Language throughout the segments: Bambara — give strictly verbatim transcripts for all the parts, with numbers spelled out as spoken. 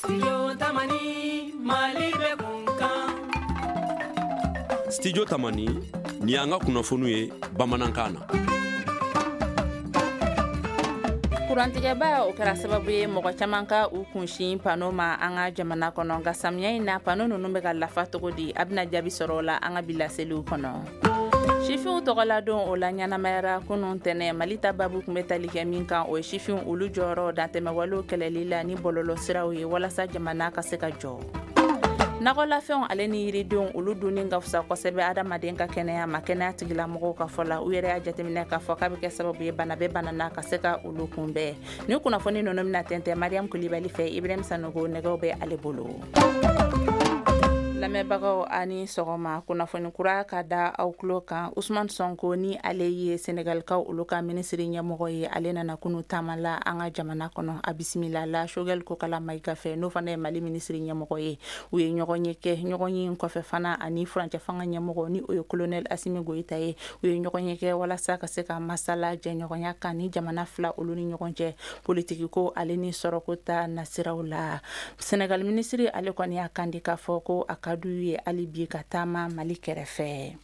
Studio Tamani, Mali bɛ kun kan. Studio Tamani, nin y'an ka kunnafoniw ye bamanankan na. Kurantigɛba o kɛra sababu ye mɔgɔ caman ka u kunsin pano ma an ka jamana kɔnɔ, nka samiya in na pano ninnu bɛ ka lafa cogo di? A bɛna jaabi sɔrɔ o la an ka bi laseliw kɔnɔ. Sifinw tɔgɔladon o la ɲɛnamayara kunun tɛnɛ. Mali ta babu tun bɛ tali kɛ min kan, o ye sifinw olu jɔyɔrɔ dantɛmɛwalew kɛlɛli la ni bɔlɔlɔsiraw ye walasa jamana ka se ka jɔ. Nakɔlafɛnw ale ni yiridenw olu dunni ka fisa kosɛbɛ adamaden ka kɛnɛya ma. Kɛnɛya tigilamɔgɔw ka fɔ la, u yɛrɛ y'a jateminɛ k'a fɔ k'a bɛ kɛ sababu ye bana bɛ bana na ka se ka olu kunbɛn. Ni kunnafoni ninnu bɛna tɛntɛn Mariam Kulibali fɛ, Ibrahim Sanogo nɛgɛw bɛ ale bolo. Lamɛnbagaw ani sɔgɔma, kunnafoni kura ka da aw tulo kan. Usman Sonko ni ale ye Senegalikaw olu ka minisiri ɲɛmɔgɔ ye, ale nana kunu taama la an ka jamana kɔnɔ. A bisimila la Choguel Kokala Maïga fɛ, n'o fana ye Mali minisiri ɲɛmɔgɔ ye. U ye ɲɔgɔn ye kɛ, ɲɔgɔn ye kɔfɛ fana ani furancɛ fanga ɲɛmɔgɔ ni o ye colonel Assimi Goïta ye. U ye ɲɔgɔn ye kɛ walasa ka se ka masala jɛɲɔgɔnya kan ni jamana fila olu ni ɲɔgɔn cɛ, politiki ko ale ni sɔrɔko ta nasiraw la. Senegal minisiri ale kɔni y'a kan di k'a fɔ ko a ka d'u ye hali bi ka taama Mali kɛrɛfɛ.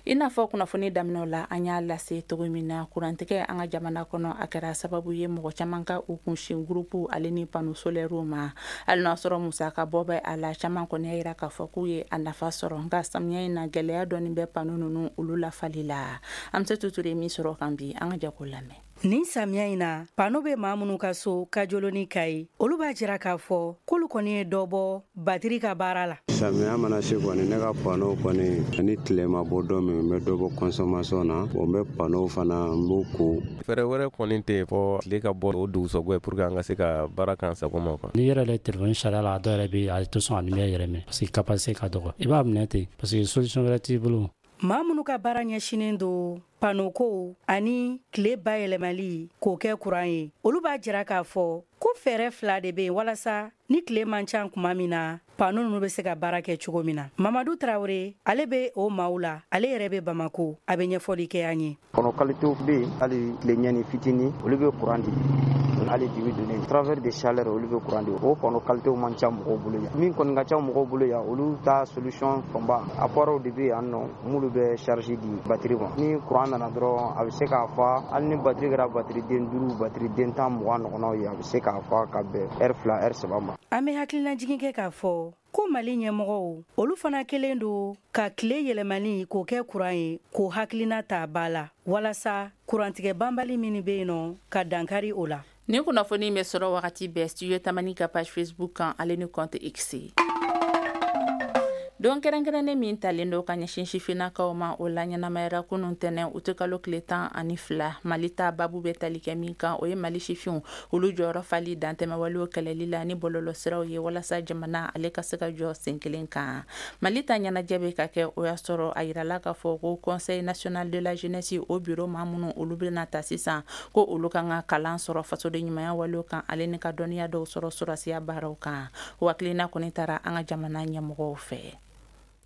I n'a fɔ kunnafoni daminɛw la an y'a lase cogo min na, kurantigɛ an ka jamana kɔnɔ a kɛra sababu ye mɔgɔ caman ka u kunsin groupe ale ni panneau solaire ma. Hali n'a sɔrɔ musaka bɔ bɛ a la, caman kɔni y'a yira k'a fɔ k'u ye a nafa sɔrɔ, nka samiya in na gɛlɛya dɔɔni bɛ panneau ninnu olu lafali la. An bɛ se Tuture min sɔrɔ kan bi, an ka jɛ k'o lamɛn. Nin samiya in na, pano bɛ maa minnu ka so Kajolo ni Kayi, olu b'a jira k'a fɔ k'olu kɔni ye dɔ bɔ batiri ka baara la. Samiya mana se kɔni, ne ka pano kɔni ni tile ma bɔ don min, n bɛ dɔ bɔ consommation na. Bon, n bɛ pano fana n b'o ko. Fɛɛrɛ wɛrɛ kɔni tɛ yen fɔ tile ka bɔ o dugusɛjɛ pour que an ka se ka baara k'an sago ma quoi. N'i yɛrɛ le téléphone sariya la, a dɔw yɛrɛ bɛ yen a tɛ sɔn ka lumière yɛrɛ minɛ parce que capacité ka dɔgɔ. I b'a minɛ ten parce que solution wɛrɛ t'i bolo. Maa minnu ka baara ɲɛsinnen don pano ko ani tile bayɛlɛmali k'o kɛ kuran ye, olu b'a jira k'a fɔ ko fɛɛrɛ fila de bɛ yen walasa ni tile man ca kuma min na, pano ninnu bɛ se ka baara kɛ cogo min na. Mamadu Tarawele, ale bɛ o maaw la, ale yɛrɛ bɛ Bamako, a bɛ ɲɛfɔli kɛ an ye. Kɔnɔ qualité bɛ yen, hali tile ɲɛni fitinin olu bɛ kuran di, hali dibi donnen travers de chaleur olu bɛ kuran di. O kɔnɔ qualité man ca mɔgɔw bolo yan. Min kɔni ka ca mɔgɔw bolo yan, olu ta solution fanba appareil de bɛ yan nɔ minnu bɛ charge di batterie ma. Ni kuran nana dɔrɔn, a bɛ se k'a fa, hali ni batterie kɛra batterie den duuru, batterie den tan, mugan ɲɔgɔnnaw ye, a bɛ se k'a fa ka bɛn heure fila, heure saba ma. An bɛ hakilinajigin kɛ k'a fɔ ko Mali ɲɛmɔgɔw olu fana kelen don ka tile yɛlɛmani k'o kɛ kuran ye, k'o hakilina ta ba la walasa kurantigɛ banbali min bɛ yen nɔ ka dankari o la. Nin kunnafoni bɛ sɔrɔ wagati bɛɛ Studio Tamani ka page Facebook kan ale ni compte X. Don kɛrɛnkɛrɛnnen min talen don ka ɲɛsin sifinnakaw ma, o la ɲɛnamayara kunun tɛnɛ u tɛ kalo tile tan ani fila. Mali ta babu bɛ tali kɛ min kan, o ye Mali sifinw olu jɔyɔrɔ fali dantɛmɛwalew kɛlɛli la ni bɔlɔlɔsiraw ye walasa jamana ale ka se ka jɔ sen kelen kan. Mali ta ɲɛnajɛ bɛ ka kɛ, o y'a sɔrɔ a yirala k'a fɔ ko Conseil national de la jeunesse o bureau maa minnu olu bɛna ta sisan, ko olu kan ka kalan sɔrɔ fasoden ɲumanya walew kan ale ni ka dɔnniya dɔw sɔrɔ sɔrɔsiya baaraw kan. O hakilina kɔni taara an ka jamana ɲɛmɔgɔw fɛ.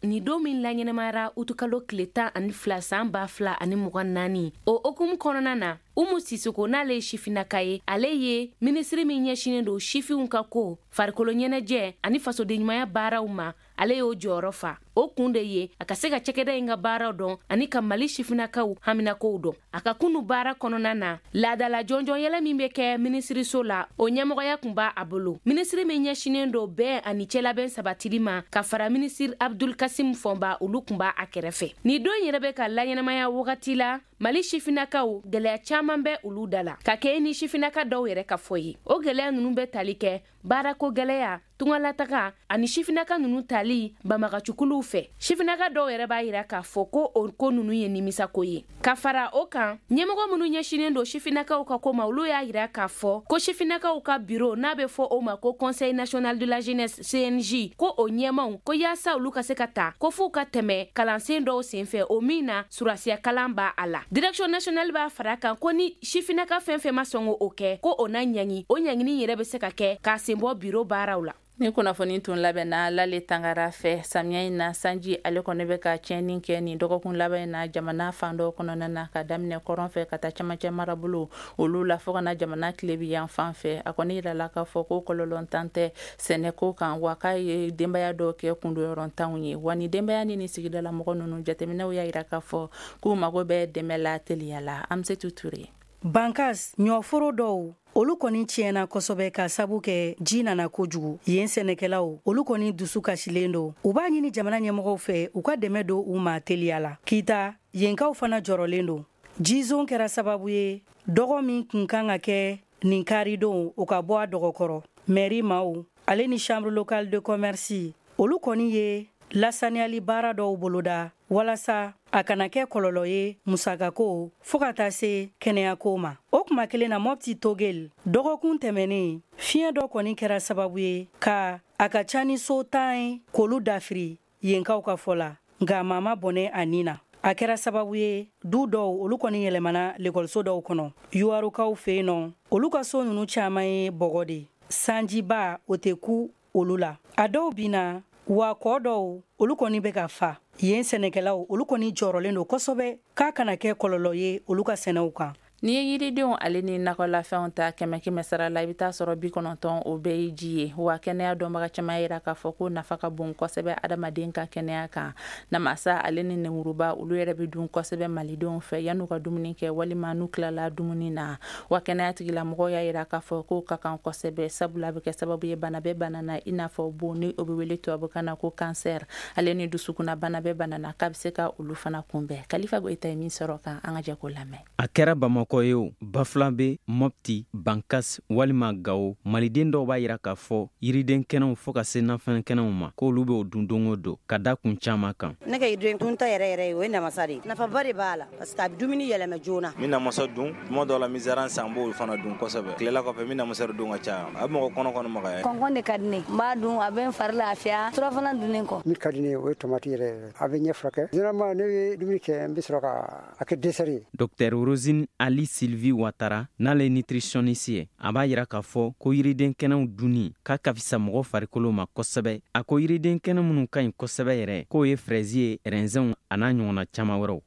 Ni don min laɲɛnamayara utukalo tile tan ani fila san ba fila ani mugan naani, o hokumu kɔnɔna na, Umu Sisoko, n'ale ye sifinnaka ye, ale ye minisiri min ɲɛsinnen don sifinw ka ko, farikolo ɲɛnajɛ ani fasodenɲumanya baaraw ma, ale y'o jɔyɔrɔ fa. O kun de ye a ka se ka cakɛda in ka baaraw dɔn ani ka Mali sifinnakaw haminakow dɔn. A ka kunu baara kɔnɔna na, laadala jɔnjɔn yɛlɛ min bɛ kɛ minisiriso la, o ɲɛmɔgɔya kun b'a a bolo. Minisiri min ɲɛsinnen don bɛn ani cɛlabɛn sabatili ma, ka fara minisiri Abdul Kasim Fɔnba, olu kun b'a a kɛrɛfɛ. Nin don yɛrɛ bɛ ka laɲɛnamaya wagati la Mali sifinnakaw gɛlɛya caman bɛ olu da la, ka kɛ ni sifinnaka dɔw yɛrɛ ka fɔ ye. O gɛlɛya ninnu bɛ tali kɛ baarako gɛlɛya, tungalataga ani sifinnaka ninnu tali banbagacikuluw fɛ. Sifinnaka dɔw yɛrɛ b'a yira k'a fɔ ko o ko ninnu ye nimisako ye. Ka fara o kan, ɲɛmɔgɔ minnu ɲɛsinnen don sifinnakaw ka ko ma, olu y'a yira k'a fɔ ko sifinnakaw ka bureau n'a bɛ fɔ o ma ko Conseil national de la jeunesse C N J, ko o ɲɛmaw ko yaasa olu ka se ka ta, ko f'u ka tɛmɛ kalansen dɔw senfɛ, o min na surasiya kalan b'a a la. Direction nationale b'a fara kan ko ni sifinnaka fɛn fɛn ma sɔn k'o kɛ, ko o na ɲangi, o ɲangini yɛrɛ bɛ se ka kɛ k'a sen bɔ bureau baaraw la. Ni kunnafoni tun labɛnna Lale Tangara fɛ. Samiya in na, sanji ale kɔni bɛ ka tiɲɛni kɛ nin dɔgɔkun laban in na jamana fan dɔw kɔnɔna na, ka daminɛ kɔrɔn fɛ ka taa camancɛ marabolo olu la, fo ka na jamana tilebi yan fan fɛ. A kɔni yirala k'a fɔ ko kɔlɔlɔntan tɛ sɛnɛko kan, wa k'a ye denbaya dɔw kɛ kundoyɔrɔntanw ye. Wa ni denbaya ni ni sigidala mɔgɔ ninnu, jateminɛw y'a yira k'a fɔ k'u mago bɛ dɛmɛ la teliya la. Amsetu Ture. Bankas ɲɔforo dɔw, olu kɔni tiɲɛna kosɛbɛ ka sabu kɛ ji nana kojugu. Yen sɛnɛkɛlaw, olu kɔni dusu kasilen don. U b'a ɲini jamana ɲɛmɔgɔw fɛ u ka dɛmɛ don u ma teliya la. Kita yenkaw fana jɔrɔlen don. Jizon kɛra sababu ye dɔgɔ min kun kan ka kɛ nin karidon, o ka bɔ a dɔgɔkɔrɔ. Mɛri maaw ale ni chambre locale de commerce, olu kɔni ye lasaniyali baara dɔw boloda walasa a kana kɛ kɔlɔlɔ ye musakako fɔɔ ka taa se kɛnɛyako ma. O kuma kelen na, Mɔpti Togel, dɔgɔkun tɛmɛnen, fiɲɛ dɔ kɔni kɛra sababu ye ka a ka ca ni so tan ye k'olu dafiri yenkaw ka fɔ la, nka maa ma bɔnɛ a nin na. A kɛra sababu ye du dɔw, olu kɔni yɛlɛmana lekɔliso dɔw kɔnɔ. Yuwarukaw fɛ yen nɔ, olu ka so ninnu caman ye bɔgɔ de, sanjiba o tɛ ku olu la. A dɔw binna, wa kɔ dɔw, olu kɔni bɛ ka fa. Yen sɛnɛkɛlaw, olu kɔni jɔrɔlen don kosɛbɛ k'a kana kɛ kɔlɔlɔ ye olu ka sɛnɛw kan. N'i ye yiridenw ale ni nakɔlafɛnw ta kɛmɛ kɛmɛ sara la, i bɛ taa sɔrɔ bi kɔnɔntɔn o bɛɛ ye ji ye. Wa kɛnɛya dɔnbaga caman yira k'a fɔ ko nafa ka bon kosɛbɛ adamaden ka kɛnɛya kan. Namasa ale ni nemuruba, olu yɛrɛ bɛ dun kosɛbɛ malidenw fɛ yan'u ka dumuni kɛ walima n'u tilala dumuni na. Wa kɛnɛya tigilamɔgɔw y'a yira k'a fɔ k'o ka kan kosɛbɛ, sabula a bɛ kɛ sababu ye bana bɛ bana na, i n'a fɔ bon ni o bɛ wele tubabukan na ko kansɛri, ale ni dusukunna bana bɛ bana na, k'a bɛ se ka olu fana kunbɛn. Kalifa Goyita ye min sɔrɔ kan, an ka jɛ k'o lamɛn. A kɛra Bamakɔ ye o, Bafulanbe, Mɔpti, Bankas walima Gawo, maliden dɔw b'a yira k'a fɔ yiriden kɛnɛw fɔɔ ka se nafɛn kɛnɛw ma, k'olu b'o dun don o don ka da kun caman kan. Ne ka yiriden dunta yɛrɛ yɛrɛ ye, o ye namasa de ye. Nafaba de b'a la parce que a bɛ dumuni yɛlɛma joona. N bɛ namasa dun tuma dɔw la, n bɛ zaran san, n b'o fana dun kosɛbɛ. Tilela kɔfɛ, n bɛ namasa dun ka caya, a bɛ mɔgɔ kɔnɔ kɔnɔ magaya. Kɔnkɔn de ka di ne, n b'a dun, a bɛ n fari lafiya surafana dunnen kɔ. Min ka di ne ye, o ye tomati yɛrɛ yɛrɛ, a bɛ ɲɛ furakɛ. Généralement ne bɛ dumuni kɛ, n bɛ sɔrɔ ka a kɛ dessert ye. Docteur Rosine Ali Sylvie Ouattara, n'ale ye nutritionniste ye, a b'a yira k'a fɔ ko yiriden kɛnɛw dunni k'a ka fisa mɔgɔ farikolo ma kosɛbɛ. A ko yiriden kɛnɛ minnu ka ɲi kosɛbɛ yɛrɛ, k'o ye fraises ye, raisinw a n'a ɲɔgɔnna caman wɛrɛw.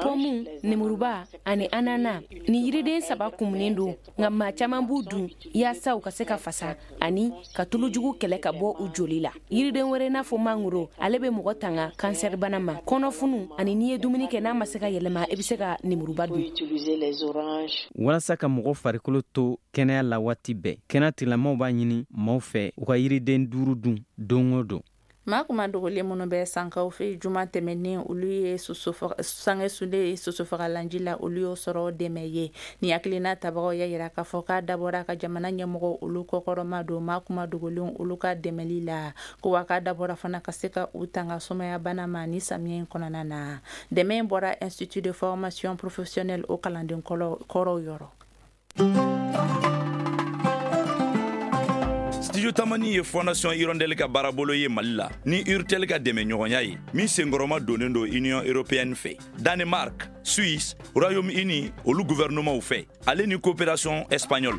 Pɔmu, nemuruba ani anana, ni yiriden saba kumunen don, nka maa caman b'u dun yaasa u ka se ka fasa ani ka tulujugu kɛlɛ ka bɔ u joli la. Yiriden wɛrɛ, n'a fɔ mangoro, ale bɛ mɔgɔ tanga kansɛribana ma, kɔnɔfunu, ani n'i ye dumuni kɛ n'a ma se ka yɛlɛma, i bɛ se ka nemuruba dun. Walasa ka mɔgɔ farikolo to kɛnɛya la waati bɛɛ, kɛnɛya tigilamɔgɔw b'a ɲini maaw fɛ u ka yiriden duuru dun don o don. Maa kuma dogolen minnu bɛ sankaw fɛ, juma tɛmɛnen, olu ye sange sulen sosofagalanji la, olu y'o sɔrɔ dɛmɛ ye. Ni hakilina tabagaw y'a yira k'a fɔ k'a dabɔra ka jamana ɲɛmɔgɔ olu kɔkɔrɔma don maa kuma dogolen olu ka dɛmɛli la, ko wa k'a dabɔra fana ka se ka u tanga sumaya bana ma ni samiya in kɔnɔna na. Dɛmɛ in bɔra Institut de formation professionnelle o kalanden kɔrɔw yɔrɔ. Studio Tamani ye Fondation Hirondelle ka baarabolo ye Mali la ni Urtel ka dɛmɛ ɲɔgɔnya ye, min senkɔrɔma donnen don Union européenne fɛ, Danemark, Suisse, Royaume-Uni olu gouvernement fɛ, ale ni coopération espagnole.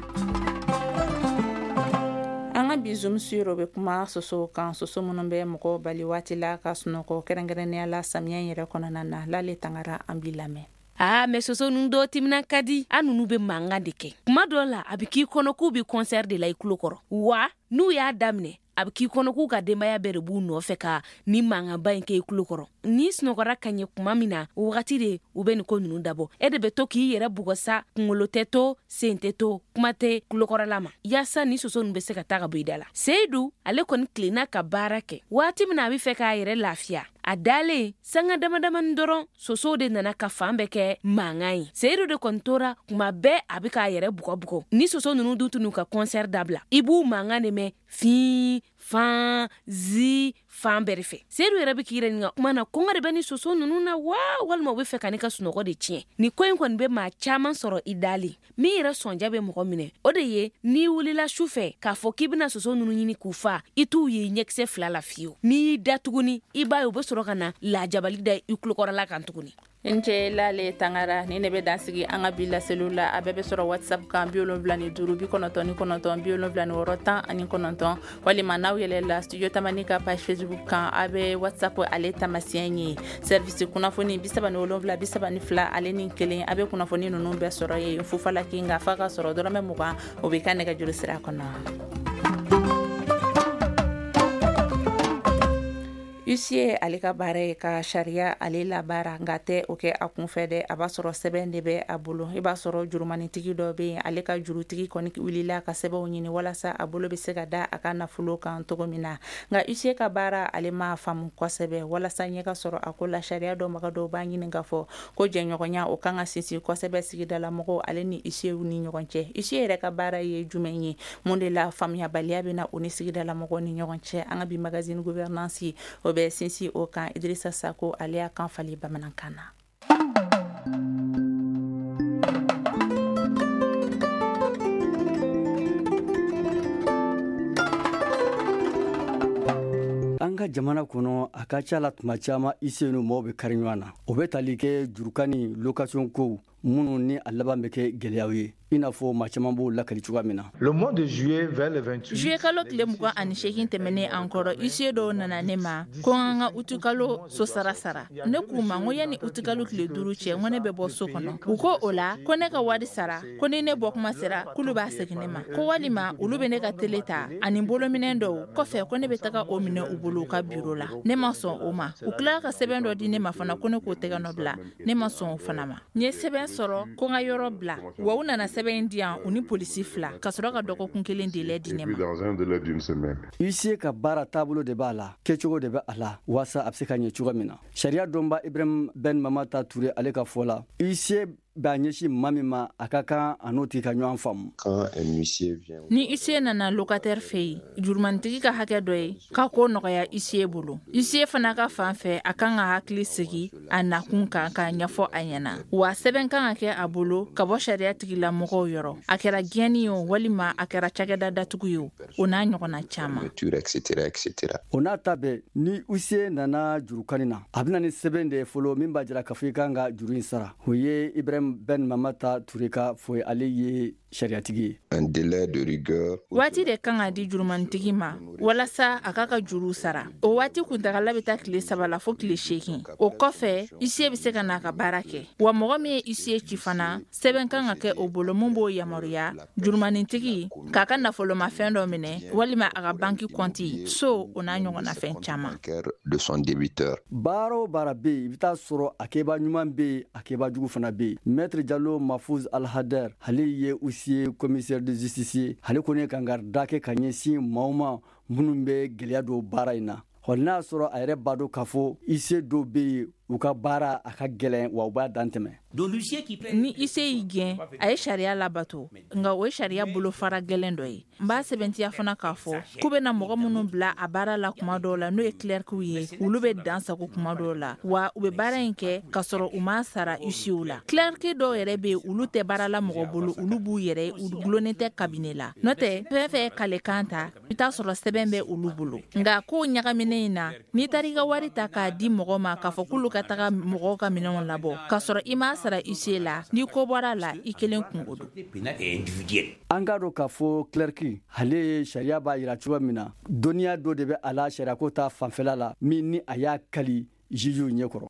An ka bi Zoom sur bɛ kuma soso kan, soso minnu bɛ mɔgɔw bali waati la ka sunɔgɔ, kɛrɛnkɛrɛnnenya la samiya in yɛrɛ kɔnɔna na. Lale Tangara, an b'i lamɛn. Aa, mɛ soso ninnu dɔw timinan ka di, an ninnu bɛ mankan de kɛ. Kuma dɔw la, a bɛ k'i kɔnɔ k'u bɛ concert de la i tulo kɔrɔ, wa n'u y'a daminɛ, a bɛ k'i kɔnɔ k'u ka denbaya bɛɛ de b'u nɔfɛ ka ni mankanba in kɛ i tulo kɔrɔ. N'i sunɔgɔra ka ɲɛ kuma min na, o wagati de u bɛ nin ko ninnu dabɔ. E de bɛ to k'i yɛrɛ bugɔ sa, kunkolo tɛ to, sen tɛ to, kuma tɛ tulokɔrɔla ma, yaasa ni soso ninnu bɛ se ka taa ka bɔ i da la. Seyidu, ale kɔni tilenna ka baara kɛ waati min na a bɛ fɛ k'a yɛrɛ lafiya, a dalen sanga dama damani dɔrɔn, sosow de nana ka fan bɛɛ kɛ mankan ye. Seyidu de kɔni tora kuma bɛɛ a bɛ k'a yɛrɛ bugɔ bugɔ. Ni soso ninnu dun tun ka concert dabila, i b'u mankan de mɛn fin fan zi fan bɛɛ de fɛ. Seyidu yɛrɛ bɛ k'i yɛrɛ ɲininka kuma na, kɔngɔ de bɛ ni soso ninnu na wa, walima u bɛ fɛ ka ne ka sunɔgɔ de tiɲɛ. Nin ko in kɔni bɛ maa caman sɔrɔ i dalen. Min yɛrɛ sɔnja bɛ mɔgɔ minɛ, o de ye n'i wulila su fɛ k'a fɔ k'i bɛna soso ninnu ɲini k'u fa, i t'u ye ɲɛkisɛ fila la fiyewu. N'i y'i da tuguni, i b'a ye u bɛ sɔrɔ ka na lajabali da i tulokɔrɔla kan tuguni. N cɛ Lale Tangara, ni ne bɛ dan sigi an ka bi laseliw la. A bɛɛ bɛ sɔrɔ WhatsApp kan bi wolonwula ni duuru bi kɔnɔntɔn ni kɔnɔntɔn bi wolonwula ni wɔɔrɔ tan ani kɔnɔntɔn, walima n'aw yɛlɛla Studio Tamani ka page Facebook kan, a bɛ WhatsApp ale tamasiyɛn ye. Service kunnafoni bi saba ni wolonwula bi saba ni fila ale ni kelen, a bɛ kunnafoni ninnu bɛɛ sɔrɔ yen fufalaki, nka f'a ka sɔrɔ dɔrɔmɛ mugan o b'i ka nɛgɛjuru sira kɔnɔ. Huissier ale ka baara ye ka sariya ale labaara, nka tɛ o kɛ a kunfɛ dɛ. A b'a sɔrɔ sɛbɛn de bɛ a bolo. I b'a sɔrɔ jurumanitigi dɔ bɛ yen, ale ka jurutigi kɔni wulila ka sɛbɛnw ɲini walasa a bolo bɛ se ka da a ka nafolo kan cogo min na. Nka huissier ka baara ale ma faamu kosɛbɛ. Walasa ɲɛ ka sɔrɔ a ko la, sariya dɔnbaga dɔw b'a ɲini k'a fɔ ko jɛɲɔgɔnya o kan ka sinsin kosɛbɛ sigidalamɔgɔw ale ni huissierw ni ɲɔgɔn cɛ. Huissier yɛrɛ ka baara ye jumɛn ye? Mun de la faamuyabaliya bɛ na o ni sigidalamɔgɔw ni ɲɔgɔn cɛ? An ka bi magazine gouvernance o bɛ sinsin o kan. Idrissa Sako ale y'a kan falen bamanankan na. An ka jamana kɔnɔ, a ka ca la tuma caman huissier ni mɔgɔw bɛ kari ɲɔgɔn na. O bɛ tali kɛ jurukan ni location kow minnu ni a laban bɛ kɛ gɛlɛyaw ye, i n'a fɔ maa caman b'o lakali cogoya min na. Le mois de juillet vers le vingt-huit, juillet kalo tile mugan ani seegin tɛmɛnen an kɔrɔ, huissier dɔw nana ne ma ko an ka utukalo so sara sara. Ne k'u ma n ko yanni utukalo tile duuru cɛ, n ko ne bɛ bɔ so kɔnɔ. U ko o la ko ne ka wari sara, ko ni ne bɔ kuma sera k'olu b'a segin ne ma, ko walima olu bɛ ne ka tele ta ani bolominɛn dɔw kɔfɛ, ko ne bɛ taga o minɛ u bolo u ka biro la. Ne ma sɔn o ma. U tilala ka sɛbɛn dɔ di ne ma fana, ko ne k'o tɛgɛ nɔ bila. Ne ma sɔn o fana ma. N ye sɛbɛn sɔrɔ ko n ka yɔrɔ bila, wa u nana sɛbɛn di yan u ni polisi fila ka sɔrɔ ka dɔgɔkun kelen délai di ne ma. Huissier ka baara taabolo de b'a la, kɛcogo de bɛ a la, waasa a bɛ se ka ɲɛ cogo min na. Sariya dɔnba Ibrahim Ben Mamata Ture ale ka fɔ la, huissier b'a ɲɛsin maa min ma, a ka kan a n'o tigi ka ɲɔgɔn faamu. Ni huissier nana locataire fɛ yen, jurumanitigi ka hakɛ dɔ ye k'a ko nɔgɔya huissier bolo. Huissier fana ka fan fɛ, a kan ka hakili sigi a nakun kan k'a ɲɛfɔ a ɲɛna, wa sɛbɛn kan ka kɛ a bolo ka bɔ sariya tigilamɔgɔw yɔrɔ, a kɛra gɛnni ye o walima a kɛra cakɛda datugu ye o, o n'a ɲɔgɔnna caman. O n'a ta bɛɛ, ni huissier nana jurukani na, a bɛ na ni sɛbɛn de ye fɔlɔ min b'a jira k'a fɔ i kan ka juru in sara. O ye Ibrahim Ben Mamata Ture ka fɔ ye, ale ye sariyatigi ye. Un délai de rigueur. Waati de kan ka di jurumanitigi ma walasa a k'a ka juru sara. O waati kuntagala bɛ taa tile saba la fo tile seegin. O kɔfɛ, huissier bɛ se ka n'a ka baara kɛ. Wa mɔgɔ min ye huissier ci fana, sɛbɛn kan ka kɛ o bolo mun b'o yamaruya jurumanitigi k'a ka nafolomafɛn dɔ minɛ walima a ka banki kɔnti so, o n'a ɲɔgɔnna fɛn caman. De son débiteur. Baara o baara bɛ yen, i bɛ taa sɔrɔ a kɛba ɲuman bɛ yen, a kɛba jugu fana bɛ yen. Maître Diallo Mahfouz Al-Hader, ale ye huissier commissaire de justice ye. Ale kɔni ye kangari da kɛ ka ɲɛsin maaw ma minnu bɛ gɛlɛya don baara in na. Hali n'a y'a sɔrɔ a yɛrɛ b'a dɔn k'a fɔ huissier dɔw bɛ yen, u ka baara a ka gɛlɛn, wa u b'a dan tɛmɛ. Ni huissier y'i gɛn, a ye sariya labato, nka o ye sariya bolofara gɛlɛn dɔ ye. N b'a sɛbɛntiya fana k'a fɔ k'u bɛna mɔgɔ minnu bila a baara la kuma dɔw la, n'o ye clercw ye, olu bɛ dan sago kuma dɔw la, wa u bɛ baara in kɛ k'a sɔrɔ u m'a sara huissierw la. Clerc dɔw yɛrɛ bɛ yen, olu tɛ baara la mɔgɔ bolo, olu b'u yɛrɛ, u gulonnen tɛ cabinet la. N'o tɛ, fɛn fɛn ye kalekan ta, i bɛ taa sɔrɔ sɛbɛn bɛ olu bolo. Nka kow ɲagaminen in na, n'i taara i ka wari ta k'a di mɔgɔ ma k'a fɔ k'olu ka taga mɔgɔw ka minɛnw labɔ k'a sɔrɔ i m'a sara huissier la, ni ko bɔra la, i kelen kungo don. An k'a dɔn k'a fɔ clerc, ale ye sariya b'a jira cogo min na, dɔnniya dɔ de bɛ a la sariyako ta fanfɛla la min ni a y'a kali jugew ɲɛkɔrɔ.